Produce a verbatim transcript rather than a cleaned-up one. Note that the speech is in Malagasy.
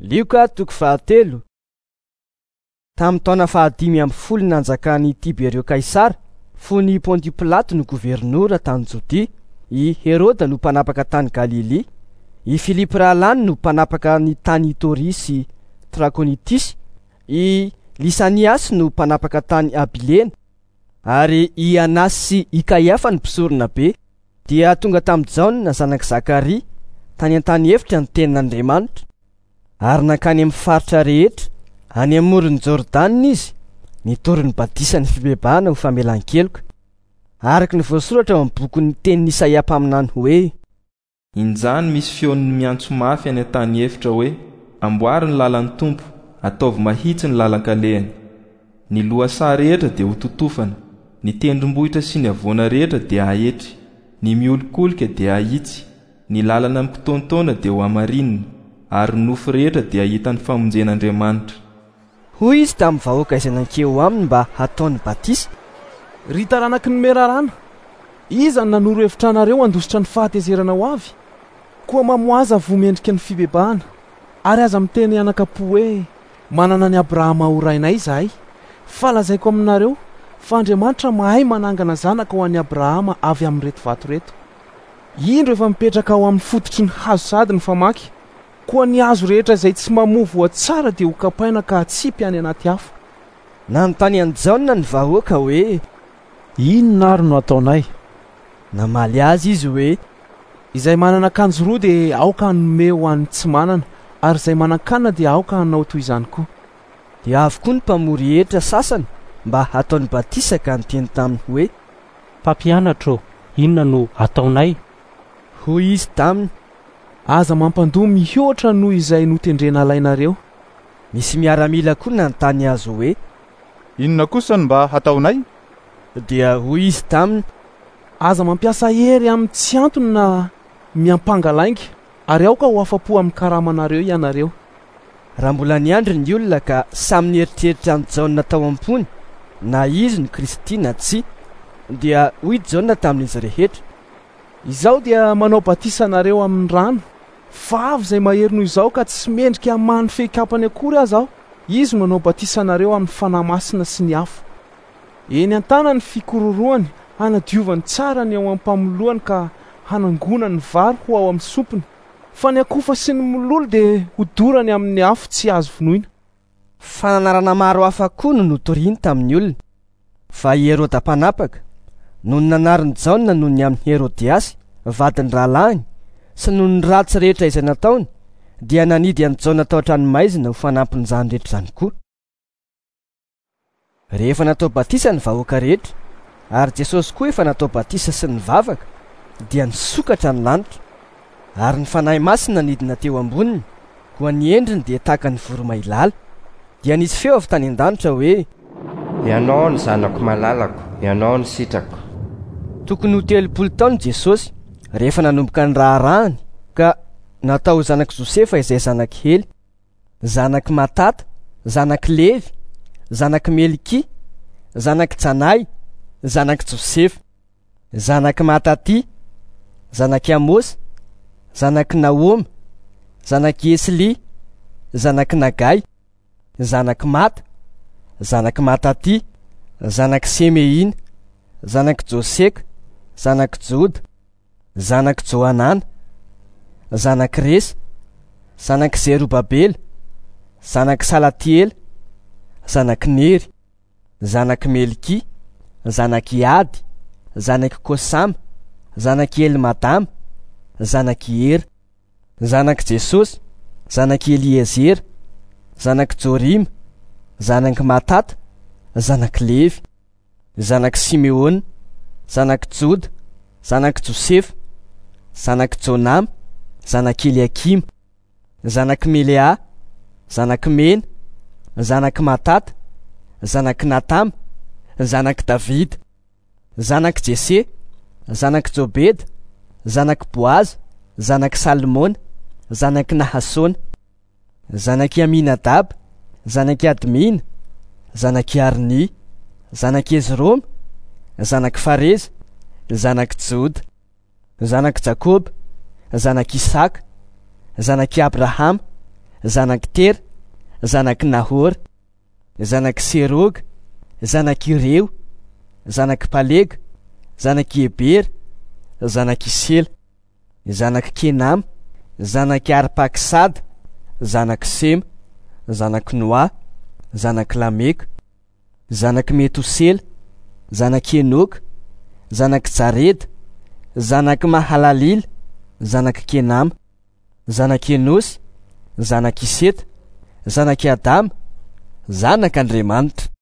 Lioka toko fahatelo. Tamin'ny taona fahadimy amby folo nanjakan'i Tiberio Kaisara, fony Pontio Pilato no governora tany Jodia, i Heroda no mpanapaka tany Galilia, i Filipo rahalahiny no mpanapaka ny tany Itoria sy Trakonitisy, i Lisaniasy no mpanapaka tany Abilena, ary i Anasy sy i Kaiafa no mpisorona be. Dia tonga tamin'i Jaona zanak'i Zakaria tany an-tany efitra ny tenin'Andriamanitra, ary nankany amin'ny faritra rehetra any amoron'i Jordana izy, nitory ny batisan'ny fibebahana ho famelan-keloka, araka ny voasoratra ao amin'ny bokin'ny tenin'i Isaia mpaminany hoe: Injany misy feon'ny miantso mafy any an-tany efitra hoe: amboary ny lalan'ny Tompo, ataovy mahitsy ny lalan-kalehany. Ny lohasaha rehetra dia ho totofana, ny tendrombohitra sy ny havoana rehetra dia haetry, ny miolikolika dia hahitsy, ny lalana mikitaontaona dia ho hamarinina, ary ny nofo rehetra dia hahita ny famonjen'Andriamanitra. Hoy izy tamin'ny vahoaka izay nankeo aminy mba hataony batisa: Ry taranaky ny menarana, iza no nanoro hevitra anareo handositra ny fahatezerana ho avy? Koa mamoaza voa mendrika ny fibebahana, ary aza miteny anakapo hoe: manana an'i Abrahama ho rainay izahay. Fa lazaiko aminareo fa Andriamanitra mahay manangana zanaka ho an'i Abrahama avy amin'ireto vato ireto. Indro efa mipetraka ao amin'ny fototry ny hazo sady ny famaky. Koa ny hazo rehetra izay tsy mamoa voa tsara dia ho kapaina ka hatsipy any anaty afo. Nanontany an'i Jaona ny vahoaka hoe: Inona ary no ataonay? Namaly azy izy hoe: Izay manana akanjo roa dia aoka hanome ho an'ny tsy manana, ary izay manan-kanina dia aoka hanao toy izany koa. Dia avy koa ny mpamory hetra sasany mba hataony batisa ka niteny taminy hoe: Mpampianatra ô, inona no ataonay? Hoy izy taminy: Aza mampandoa mihoatra noho izay notendrena alainareo. Nisy miaramila koa nanontany azy hoe: Inona kosa no mba hataonay? Dia hoy izy taminy: Aza mampiasa hery amin'ny tsy antony na miampanga lainga, ary aoka ho afa-po amin'ny karamanareo ianareo. Raha mbola niandry ny olona ka samy nieritreritra an'i Jaona tao am-pony, na izy no Kristy na tsia, dia hoy Jaona tamin'izy rehetra: Izaho dia manao batisa anareo amin'ny rano, fa avy izay mahery noho izaho ka tsy mendrika hamaha ny fehikapany akory aza aho. Izy no manao batisa anareo amin'ny Fanahy Masina sy ny afo. Eny an-tanany ny fikororohany, hanadiovany tsara ny ao am-pamoloany ka hanangonany ny vary ho ao amin'ny sompiny, fa ny akofa sy ny mololo dia hodorany amin'ny afo tsy azo vonoina. Fananarana maro hafa koa no notoriny tamin'ny olona. Fa i Heroda mpanapaka, noho ny nanarin'i Jaona noho ny amin'i Herodiasy, vadin'ny rahalahiny, sy noho ny ratsy rehetra izay nataony, dia nanidy an'i Jaona tao an-tranomaizina ho fanampin'izany rehetra izany koa. Rehefa natao batisa ny vahoaka rehetra, ary Jesosy koa efa natao batisa sy nivavaka, dia nisokatra ny lanitra, ary ny Fanahy Masina nidina teo amboniny, koa ny endriny dia tahaka ny voromailala. Dia nisy feo avy tany an-danitra hoe: Ianao ny zanako malalako, ianao ny sitrako. Tokony ho telopolo taona Jesosy rehefa nanomboka ny raharahany, ka natao ho zanak'i Josefa izay zanak'i Hely, zanak'i Matata, zanak'i Levy, zanak'i Melki, zanak'i Janay, zanak'i Josefa, zanak'i Matatia, zanak'i Amosy, zanak'i Naoma, zanak'i Esli, zanak'i Nagay, zanak'i Mata, zanak'i Matatia, zanak'i Semeina, zanak'i Joseka, zanak'i Joda, zanak'i Johanana, zanak'i Resa, zanak'i Zerobabela, zanak'i Salatiela, zanak'i Nery, zanak'i Melki, zanak'i Ady, zanak'i Kosama, zanak'i Elmadama, zanak'i Era, zanak'i Jesosy, zanak'i Eliezera, zanak'i Jorima, zanak'i Matata, zanak'i Levy, zanak'i Simeona, zanak'i Joda, zanak'i Josefa, zanak'i Jonama, zanak'i Eliakima, zanak'i Melea, zanak'i Mena, zanak'i Matata, zanak'i Natama, zanak'i Davida, zanak'i Jese, zanak'i Jobeda, zanak'i Boaza, zanak'i Salmona, zanak'i Nahasona, zanak'i Aminadaba, zanak'i Admina, zanak'i Arni, zanak'i Ezroma, zanak'i Fareza, zanak'i Joda, zanak'i Jakoba, zanak'i Isaka, zanak'i Abrahama, zanak'i Tera, zanak'i Nahora, zanak'i Seroga, zanak'i Reo, zanak'i Palega, zanak'i Ebera, zanak'i Sela, zanak'i Kenama, zanak'i Arpaksada, zanak'i Sema, zanak'i Noa, zanak'i Lameka, zanak'i Metosela, zanak'i Enoka, zanak'i Jareda, zanak'i Mahalalila, zanak'i Kenama, zanak'i Enosy, zanak'i Seta, zanak'i Adama, zanak'Andriamanitra.